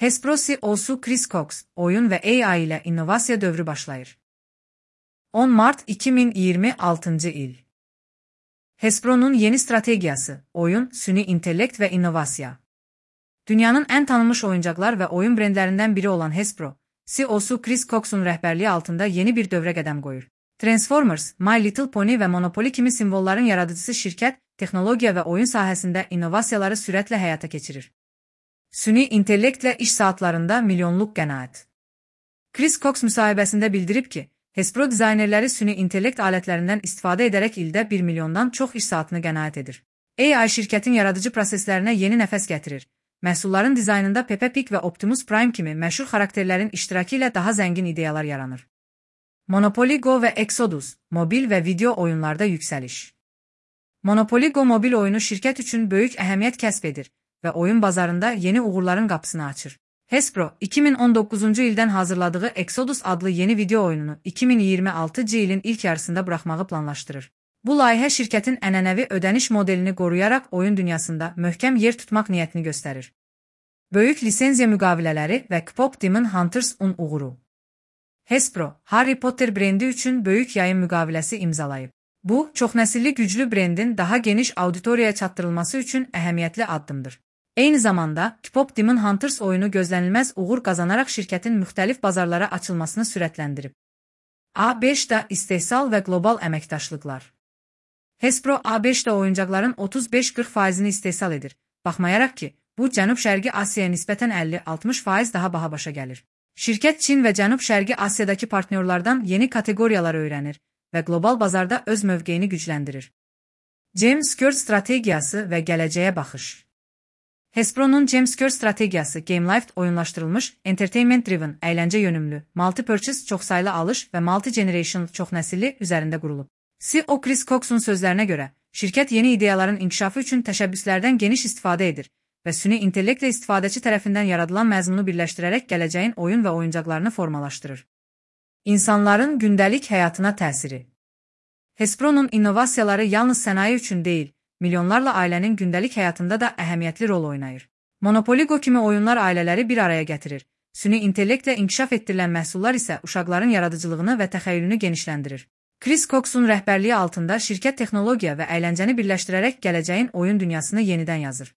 Hasbro CEO'su Chris Cox, oyun ve AI ile innovasiya dövrü başlayır. 10 Mart 2026 il. Hasbro'nun yeni stratejisi, oyun, süni intellekt ve inovasiya. Dünyanın en tanınmış oyuncaklar ve oyun brendlerinden biri olan Hasbro, CEO'su Chris Cox'un rehberliği altında yeni bir dövre qədəm qoyur. Transformers, My Little Pony ve Monopoly kimi simvolların yaradıcısı şirket, texnologiya ve oyun sahəsində innovasiyaları sürətlə həyata keçirir. Süni intellektlə iş saatlarında milyonluq qənaət. Chris Cox müsahibəsində bildirib ki, Hasbro dizaynerləri süni intellekt alətlərindən istifadə edərək ildə 1 milyondan çox iş saatını qənaət edir. AI şirkətin yaradıcı proseslərinə yeni nəfəs gətirir. Məhsulların dizaynında Peppa Pig və Optimus Prime kimi məşhur xarakterlərin iştirakı ilə daha zəngin ideyalar yaranır. Monopoly Go ve Exodus, mobil ve video oyunlarda yükseliş. Monopoly Go mobil oyunu şirket üçün böyük əhəmiyyət kəsb edir və oyun bazarında yeni uğurların qapısını açır. Hasbro, 2019 ildən hazırladığı Exodus adlı yeni video oyununu 2026 ilin ilk yarısında buraxmağı planlaşdırır. Bu layihə şirkətin ənənəvi ödəniş modelini qoruyaraq oyun dünyasında möhkəm yer tutmaq niyyətini göstərir. Böyük lisenziya müqavilələri və K-pop Demon Hunters'un uğuru. Hasbro, Harry Potter brendi üçün böyük yayım müqaviləsi imzalayıb. Bu, çoxnəsilli güclü brendin daha geniş auditoriyaya çatdırılması üçün əhəmiyyətli addımdır. Eyni zamanda, K-pop Demon Hunters oyunu gözlənilməz uğur qazanaraq şirkətin müxtəlif bazarlara açılmasını sürətləndirib. A5'da istehsal və qlobal əməkdaşlıqlar. Hasbro A5'də oyuncaqların 35-40%'ni istehsal edir, baxmayaraq ki, bu Cənub-Şərqi Asiyaya nisbətən 50-60% daha baha başa gəlir. Şirkət Çin və Cənub-Şərqi Asiyadakı partnyorlardan yeni kateqoriyalar öyrənir və qlobal bazarda öz mövqeyini gücləndirir. James Kerr strategiyası və gələcəyə baxış. Hasbro'nun James Kerr strategiyası GameLife oyunlaşdırılmış, entertainment-driven, əyləncə yönümlü, multi-purchase çoxsaylı alış və multi-generation çoxnəsilli üzərində qurulub. CEO Chris Cox'un sözlərinə görə, şirkət yeni ideyaların inkişafı üçün təşəbbüslərdən geniş istifadə edir və süni intellektlə istifadəçi tərəfindən yaradılan məzmunu birləşdirərək gələcəyin oyun və oyuncaqlarını formalaşdırır. İnsanların gündəlik həyatına təsiri. Hasbro'nun innovasiyaları yalnız sənaye üçün deyil, milyonlarla ailənin gündəlik həyatında da əhəmiyyətli rol oynayır. Monopoly Go kimi oyunlar ailələri bir araya gətirir. Süni intellektlə inkişaf etdirilən məhsullar isə uşaqların yaradıcılığını və təxəyyülünü genişləndirir. Chris Cox'un rəhbərliyi altında şirkət texnologiya və əyləncəni birləşdirərək gələcəyin oyun dünyasını yenidən yazır.